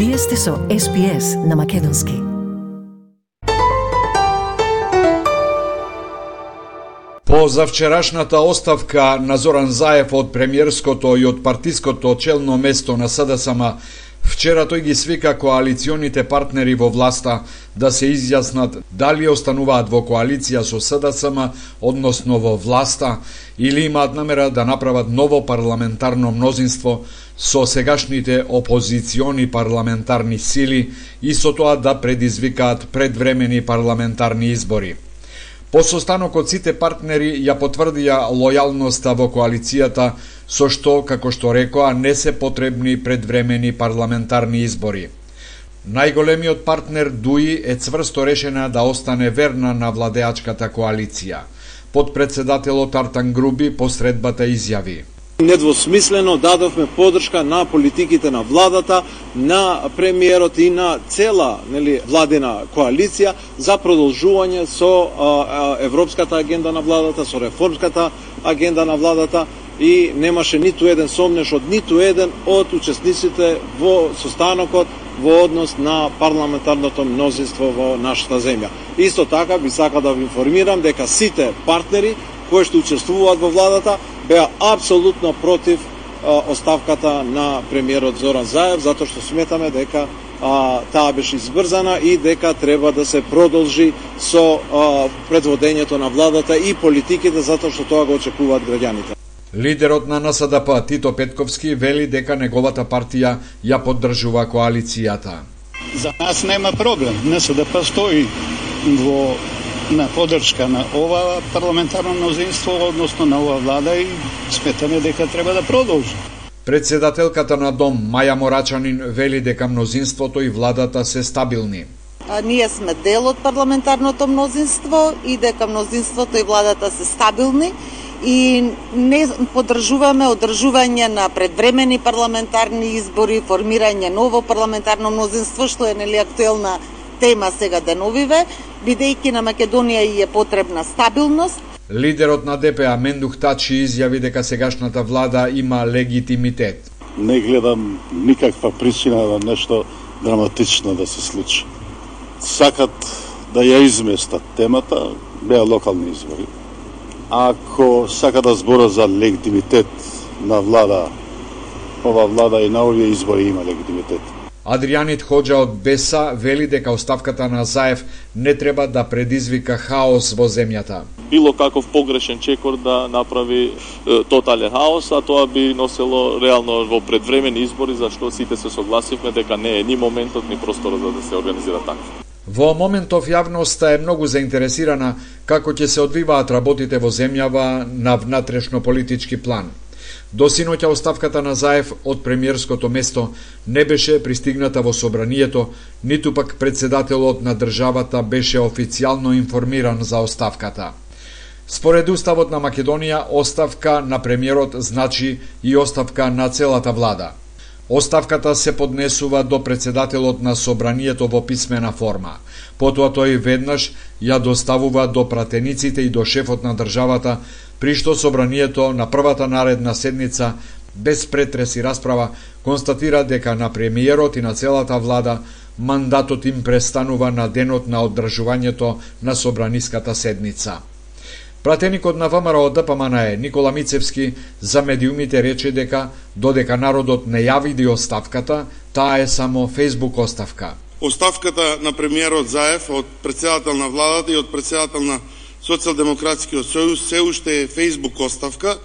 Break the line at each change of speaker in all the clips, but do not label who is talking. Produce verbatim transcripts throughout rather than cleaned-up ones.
Вие сте со Ес Би Ес на Македонски.
По завчерашната оставка на Зоран Заев од премиерското и од партиското челно место на С Д С М, вчера тој ги свика коалиционите партнери во власта да се изјаснат дали остануваат во коалиција со С Д С М, односно во власта, или имаат намера да направат ново парламентарно мнозинство со сегашните опозициони парламентарни сили и со тоа да предизвикаат предвремени парламентарни избори. По состанокот сите партнери ја потврдија лојалноста во коалицијата, со што, како што рекоа, не се потребни предвремени парламентарни избори. Најголемиот партнер ДУИ е цврсто решена да остане верна на владеачката коалиција. Подпредседателот Артан Груби по средбата изјави:
Недвосмислено дадовме подршка на политиките на владата, на премиерот и на цела, нели, владина коалиција за продолжување со а, европската агенда на владата, со реформската агенда на владата, и немаше ниту еден сомнеш од ниту еден од учесниците во состанокот во однос на парламентарното мнозинство во нашата земја. Исто така би сакал да ви информирам дека сите партнери кои што учествуваат во владата беа апсолутно против а, оставката на премиерот Зоран Заев, затоа што сметаме дека а, таа беше избрзана и дека треба да се продолжи со а, предводењето на владата и политиките, затоа што тоа го очекуваат граѓаните.
Лидерот на Н С Д П Тито Петковски вели дека неговата партија ја поддржува коалицијата.
За нас нема проблем. Н С Д П стои во на поддршка на ова парламентарно мнозинство, односно на ова влада, и сметаме дека треба да продолжи.
Председателката на Дом Маја Морачанин вели дека мнозинството и владата се стабилни.
А, ние сме дел од парламентарното мнозинство и дека мнозинството и владата се стабилни и не поддржуваме одржување на предвремени парламентарни избори, формирање ново парламентарно мнозинство, што е нели актуелна тема сега деновиве, бидејќи на Македонија и е потребна стабилност.
Лидерот на Д П А Мендух Тачи изјави дека сегашната влада има легитимитет.
Не гледам никаква причина да нешто драматично да се случи. Сакат да ја изместат темата, беа локални избори. Ако сака да збора за легитимитет на влада, ова влада и на овие избори има легитимитет.
Адријанит Хоџа од Б Е С вели дека оставката на Заев не треба да предизвика хаос во земјата.
Било каков погрешен чекор да направи е, тотален хаос, а тоа би носело реално во предвремени избори, зашто сите се согласивме дека не е ни моментот ни просторот за да се организира така.
Во моментов јавноста е многу заинтересирана како ќе се одвиваат работите во земјава на внатрешно политички план. До синоќа оставката на Заев од премиерското место не беше пристигната во собранието, ниту пак председателот на државата беше официјално информиран за оставката. Според Уставот на Македонија, оставка на премиерот значи и оставка на целата влада. Оставката се поднесува до председателот на собранието во писмена форма. Потоа тој веднаш ја доставува до пратениците и до шефот на државата, при што собранието на првата наредна седница, без претрес и расправа, констатира дека на премиерот и на целата влада мандатот им престанува на денот на одржувањето на собраниската седница. Пратеникот на ВМРО од Д П М Н Е Никола Мицевски за медиумите рече дека додека народот не ја види оставката, таа е само фејсбук оставка.
Оставката на премиерот Заев од председател на владата и од председател на Социјалдемократскиот сојуз се уште е фејсбук оставка,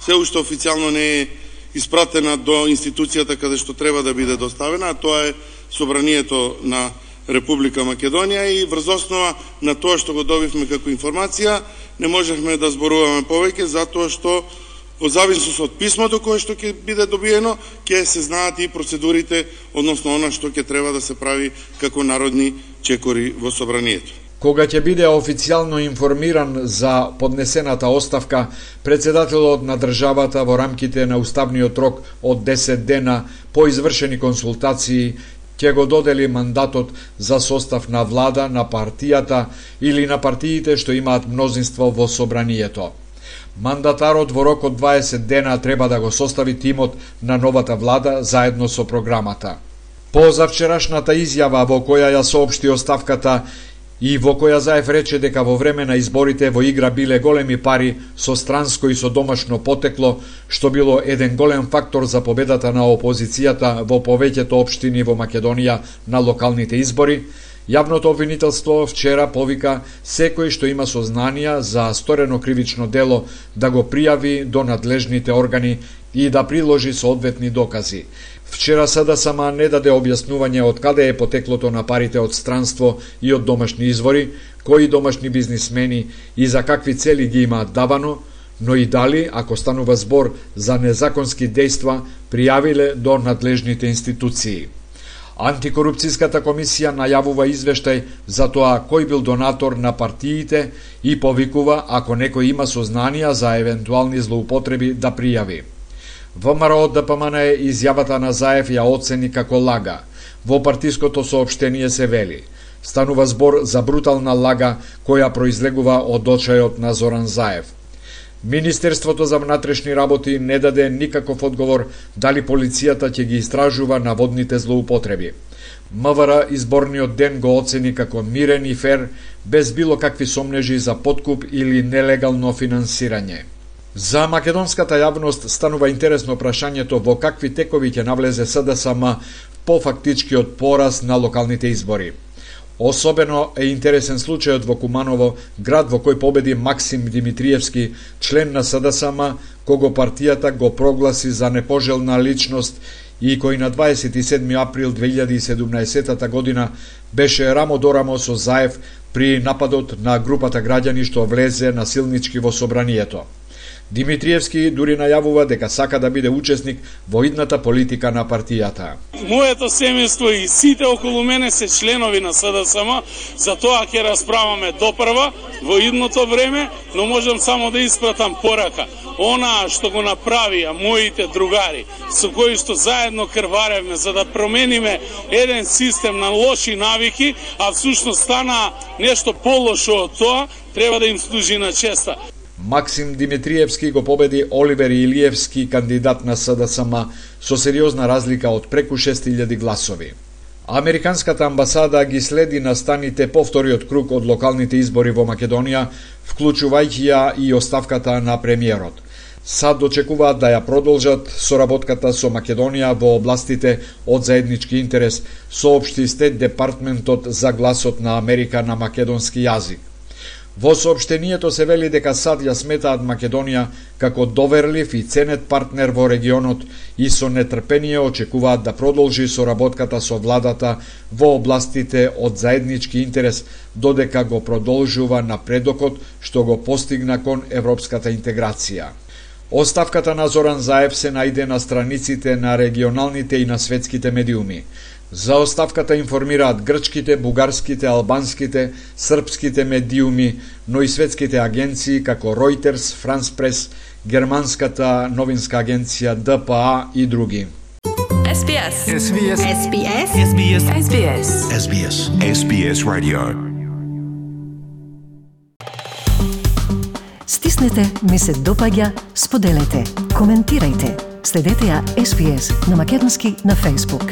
се уште официјално не е испратена до институцијата каде што треба да биде доставена, а тоа е собранието на Република Македонија, и врз основа на тоа што го добивме како информација не можевме да зборуваме повеќе, затоа што во зависност од писмото кое што ќе биде добиено, ќе се знаат и процедурите, односно она што ќе треба да се прави како народни чекори во собранието.
Кога ќе биде официјално информиран за поднесената оставка, председателот на државата во рамките на уставниот рок од десет дена по извршени консултации ќе го додели мандатот за состав на влада на партијата или на партиите што имаат мнозинство во собранието. Мандатарот во рок од дваесет дена треба да го состави тимот на новата влада заедно со програмата. По завчерашната изјава во која ја соопшти оставката и во која Заев рече дека во време на изборите во игра биле големи пари со странско и со домашно потекло, што било еден голем фактор за победата на опозицијата во повеќето општини во Македонија на локалните избори, јавното обвинителство вчера повика секој што има сознанија за сторено кривично дело да го пријави до надлежните органи и да приложи соодветни докази. Вчера СДСМ не даде објаснување од каде е потеклото на парите од странство и од домашни извори, кои домашни бизнисмени и за какви цели ги имаат давано, но и дали, ако станува збор за незаконски дејства, пријавиле до надлежните институции. Антикорупцијската комисија најавува извештај за тоа кој бил донатор на партиите и повикува, ако некој има сознанија за евентуални злоупотреби, да пријави. ВМРО ДПМН изјавата на Заев ја оцени како лага. Во партиското соопштение се вели: станува збор за брутална лага која произлегува од очајот на Зоран Заев. Министерството за внатрешни работи не даде никаков одговор дали полицијата ќе ги истражува наводните злоупотреби. МВР изборниот ден го оцени како мирен и фер, без било какви сомнежи за подкуп или нелегално финансирање. За македонската јавност станува интересно прашањето во какви текови ќе навлезе СДСМ по фактичкиот пораз на локалните избори. Особено е интересен случајот во Куманово, град во кој победи Максим Димитриевски, член на СДСМ, кого партијата го прогласи за непожелна личност и кој на дваесет и седми април две илјади и седумнаесетта година беше рамо до рамо со Заев при нападот на групата граѓани што влезе насилнички во собранието. Димитриевски дури најавува дека сака да биде учесник во идната политика на партијата.
Моето семејство и сите околу мене се членови на СДСМ, за тоа ќе расправаме допрва во идното време, но можам само да испратам порака. Она што го направија моите другари, со кои што заедно крваревме за да промениме еден систем на лоши навики, а всушност стана нешто полошо од тоа, треба да им служи на честа.
Максим Димитриевски го победи Оливер Илиевски, кандидат на СДСМ, со сериозна разлика од преку шест илјади гласови. Американската амбасада ги следи настаните по вториот круг од локалните избори во Македонија, вклучувајќи ја и оставката на премиерот. САД очекуваат да ја продолжат соработката со Македонија во областите од заеднички интерес, соопшти Стейт Департментот за гласот на Америка на македонски јазик. Во соопштението се вели дека САД ја сметаат Македонија како доверлив и ценет партнер во регионот и со нетрпение очекуваат да продолжи соработката со владата во областите од заеднички интерес, додека го продолжува напредокот што го постигна кон европската интеграција. Оставката на Зоран Заев се најде на страниците на регионалните и на светските медиуми. За оставката информираат грчките, бугарските, албанските, српските медиуми, но и светските агенции како Reuters, France Press, германската новинска агенција Д П А и други.
Ес Би Ес.
Ес Би Ес.
Ес Би Ес. Ес Би Ес. Ес Би Ес.
Ес Би Ес. Ес Би Ес Radio.
Стиснете, ми се допаѓа, споделете, коментирајте. Следете ја Ес Би Ес на македонски на Facebook.